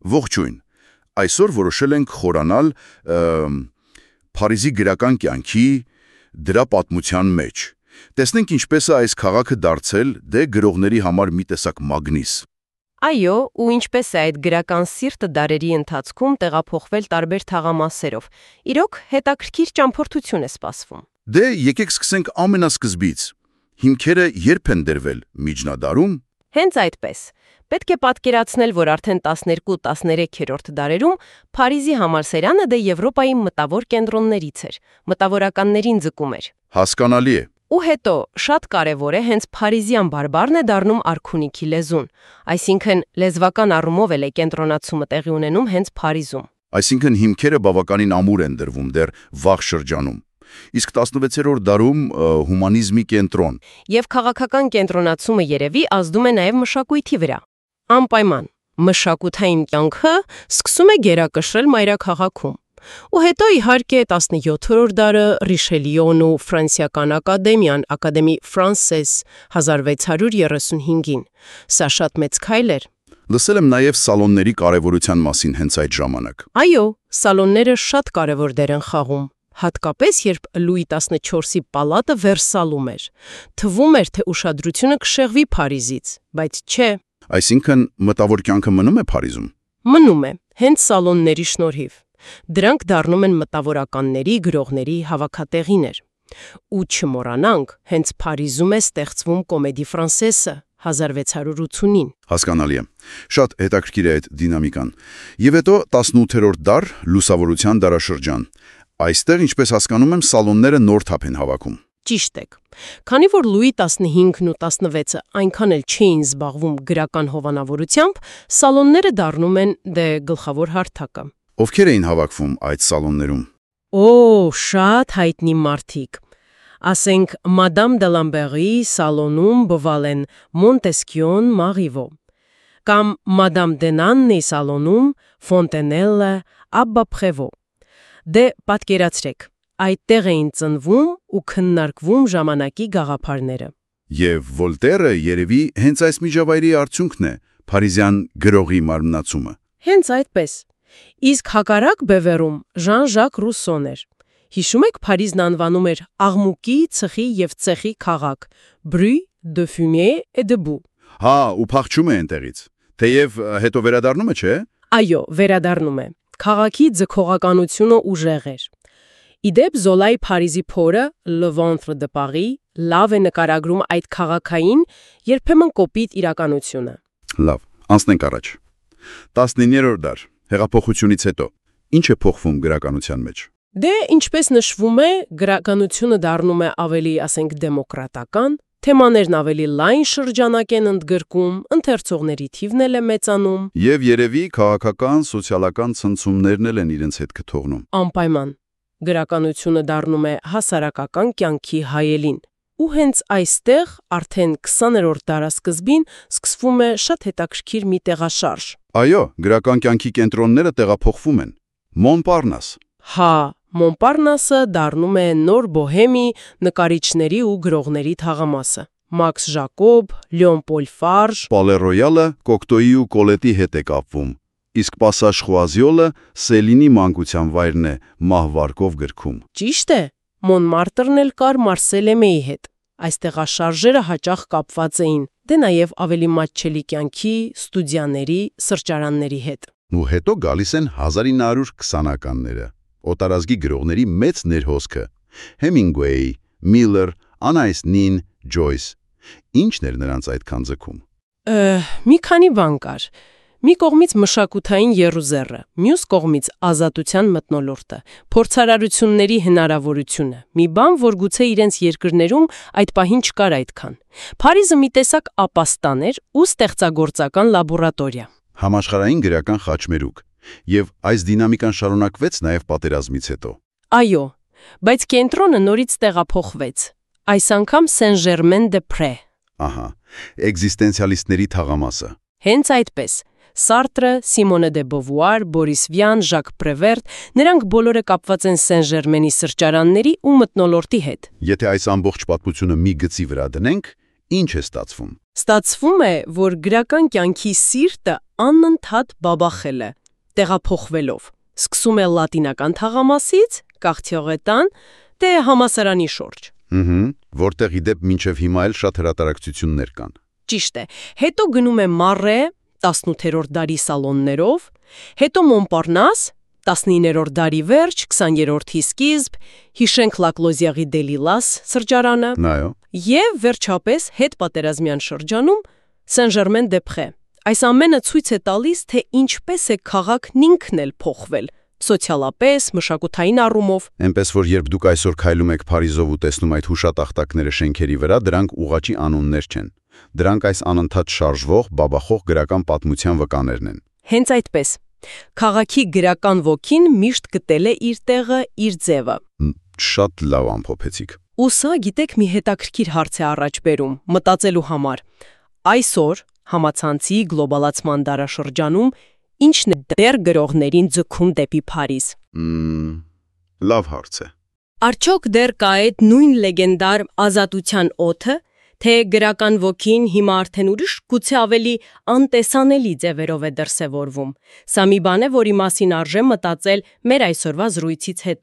Ողջույն։ Այսօր որոշել ենք խորանալ Փարիզի գրական կյանքի դրա պատմության մեջ։ Տեսնենք ինչպես է այս քաղաքը դարձել դե գրողների համար մի տեսակ մագնիս։ Այո, ու ինչպես է այդ գրական սիրտը դարերի ընթացքում տեղափոխվել տարբեր թաղամասերով։ Իրոք հետաքրքիր ճամփորդություն է սպասվում։ Դե եկեք սկսենք ամենասկզբից։ Հիմքերը երբ են դրվել միջնադարում։ Հենց այդպես։ Պետք է պատկերացնել, որ արդեն 12-13-րդ դարերում Փարիզի համալսարանը դե Եվրոպայի մտավոր կենտրոններից էր, մտավորականներին ձգում էր։ Հասկանալի է։ Ու հետո շատ կարևոր է հենց փարիզյան բարբառն է դառնում արքունիքի լեզուն, այսինքն լեզվական առումով էլ է կենտրոնացումը տեղի ունենում հենց Փարիզում։ Այսինքն հիմքերը բավականին ամուր են դրվում դեռ վաղ շրջանում։ Իսկ 16-րդ դարում հումանիզմի կենտրոն։ Եվ քաղաքական կենտրոնացումը երևի ազդում է նաև մշակույթի վրա։ Անպայման, մշակութային կյանքը սկսում է գերակշռել մայրաքաղաքում։ Ու հետո իհարկե 17-րդ դարը Ռիշելիոն ու Ֆրանսիական ակադեմիան, Ակադեմի Ֆրանսես 1635-ին։ Սա շատ մեծ քայլ էր։ Լսել եմ նաև սալոնների կարևորության մասին հենց այդ ժամանակ։ Այո, սալոնները շատ կարևոր դեր են խաղում։ Հատկապես երբ Լուի 14-ի պալատը Վերսալում էր։ Թվում էր, թե ուշադրությունը կշեղվի Փարիզից, բայց չէ։ Այսինքն մտավոր կյանքը մնում է Փարիզում։ Մնում է, հենց սալոնների շնորհիվ։ Դրանք դառնում են մտավորականների, գրողների հավաքատեղիներ։ Ու չմոռանանք, հենց Փարիզում է ստեղծվում Կոմեդի Ֆրանսեսը 1680-ին։ Հասկանալի է։ Շատ հետաքրքիր է այդ դինամիկան։ Եվ հետո 18-րդ դար լուսավորության դարաշրջան։ Այստեղ, ինչպես հասկանում եմ, սալոնները նոր թափ են հավաքում։ Ճիշտ եք։ Քանի որ Լուի 15-ն ու 16-ը այնքան էլ չէին զբաղվում գրական հովանավորությամբ, սալոնները դառնում են դե գլխավոր հարթակը։ Ովքեր էին հավաքվում այդ սալոններում։ Օ, շատ հայտնի մարդիկ։ Ասենք Մադամ դե Լամբերի սալոնում բվալ են Մոնտեսկյոն, Մարիվո, կամ Մադամ դե Նաննի սալոնում Ֆոնտենելը, Աբբա Պրևո։ Դե պատկերացրեք, այդտեղ էին ծնվում ու քննարկվում ժամանակի գաղափարները։ Եվ Վոլտերը երևի հենց այս միջավայրի արդյունքն է փարիզյան գրողի մարմնացումը։ Հենց այդպես։ Իսկ հակառակ բևեռում Ժան-Ժակ Ռուսոն էր։ Հիշում եք, Փարիզն անվանում էր աղմուկի, ծխի եւ ցեխի քաղաք, bruit de fumée et de boue։ Հա, ու փախչում է այնտեղից։ Թեև հետո վերադառնում է, չէ՞։ Այո, վերադառնում է։ Քաղաքի ձգողականությունը ուժեղ էր։ Իդեպ Զոլայի Փարիզի փորը Le Ventre de Paris լավ է նկարագրում այդ քաղաքային, երբեմն կոպիտ իրականությունը։ Լավ, անցնենք առաջ։ 19-րդ դար, հեղափոխությունից հետո ինչ է փոխվում գրականության մեջ։ Դե, ինչպես նշվում է, գրականությունը դառնում է ավելի, ասենք, դեմոկրատական, թեմաներն ավելի լայն շրջանակ են ընդգրկում, ընթերցողների թիվն էլ է մեծանում։ Եվ երևի քաղաքական, սոցիալական ցնցումներն էլ են իրենց հետ կթողնում։ Անպայման։ Գրականությունը դառնում է հասարակական կյանքի հայելին։ Ու հենց այստեղ արդեն 20-րդ դարասկզբին սկսվում է շատ հետաքրքիր մի տեղաշարժ։ Այո, գրական կյանքի կենտրոնները տեղափոխվում են։ Մոնպարնաս։ Հա, Մոնպարնասը դառնում է նոր բոհեմի նկարիչների ու գրողների թաղամասը։ Մաքս Ժակոբ, Լեոն Պոլ Ֆարժ, Պալե Ռոյալը Կոկտոյի ու Կոլետի հետ է կապվում։ Իսկ Պասաժ Խուազիոլը Սելինի մանկության վայրն է մահվարկով գրքում։ Ճիշտ է, Մոնմարտրն էլ կար Մարսելեմեի հետ։ Այս տեղաշարժերը հաճախ կապված էին, դե նաև ավելի մատչելի կյանքի, ստուդիաների, սրճարանների հետ։ Ու հետո գալիս են 1920-ականները։ Օտարազգի գրողների մեծ ներհոսքը։ Հեմինգուեյ, Միլլեր, Անայս Նին, Ջոյս։ Ինչն էր նրանց այդքան ձգում։ Մի քանի բան կար։ Մի կողմից մշակութային եռուզեռը, մյուս կողմից ազատության մթնոլորտը, փորձարարությունների հնարավորությունը։ Մի բան, որ գուցե իրենց երկրներում այդ պահին չկար այդքան։ Փարիզը մի տեսակ ապաստան էր ու ստեղծագործական լաբորատորիա։ Համաշխարհային գրական խաչմերուկ։ Եվ այս դինամիկան շարունակվեց նաև պատերազմից հետո։ Այո, բայց կենտրոնը նորից տեղափոխվեց։ Այս անգամ Սեն-Ժերմեն-դե-Պրե։ Ահա, էգզիստենցիալիստների թաղամասը։ Հենց այդպես։ Սարտրը, Սիմոնե դե Բովուար, Բորիս Վյան, Ժակ Պրևերտ, նրանք բոլորը կապված են Սեն-Ժերմենի սրճարանների ու մթնոլորտի հետ։ Եթե այս ամբողջ պատմությունը մի գծի վրա դնենք, Ինչ է ստացվում։ Ստացվում է, որ գրական կյանքի սիրտը անընդհատ բաբախել է, տեղափոխվելով։ Սկսում է լատինական թաղամասից, Կաղթյողետան, դե համասարանի շուրջ։ Որտեղ իդեպ մինչև հիմա էլ շատ հրատարակություններ կան։ Ճիշտ է։ Հետո գնում է Մարե 18-րդ դարի սալոններով, հետո Մոնպարնաս 19-րդ դարի վերջ, 20-րդի սկիզբ, հիշենք Լակլոզիաղի Դելիլաս սրճարանը, Այո։ եւ վերջապես հետպատերազմյան շրջանում Սեն-Ժերմեն-դե-Պրե։ Այս ամենը ցույց է տալիս, թե ինչպես է քաղաքն ինքն էլ փոխվել սոցիալապես, մշակութային առումով։ Էնպես որ երբ դուք այսօր քայլում եք Փարիզով ու տեսնում այդ հուշատախտակները շենքերի վրա, դրանք ուղղակի անուններ չեն։ Դրանք այս անընդհատ շարժվող, բաբախող գրական պատմության վկաներն են։ Հենց այդպես։ Քաղաքի գրական ոգին միշտ գտել է իր տեղը, իր ձևը։ Շատ լավ ամփոփեցիք։ Ու սա, գիտեք, մի հետաքրքիր հարց է առաջ բերում, մտածելու համար։ Այսօր համացանցի գլոբալացման դարաշրջանում ինչն է դեռ գրողներին ձգում դեպի Փարիզ։ Լավ հարց է։ Արդյոք դեռ կա այդ նույն լեգենդար ազատության օդը, թե գրական ոգին հիմա արդեն ուրիշ, գուցե ավելի անտեսանելի ձևերով է դրսևորվում։ Սա մի բան է, որի մասին արժե մտածել մեր այսօրվա զրույցից հետո։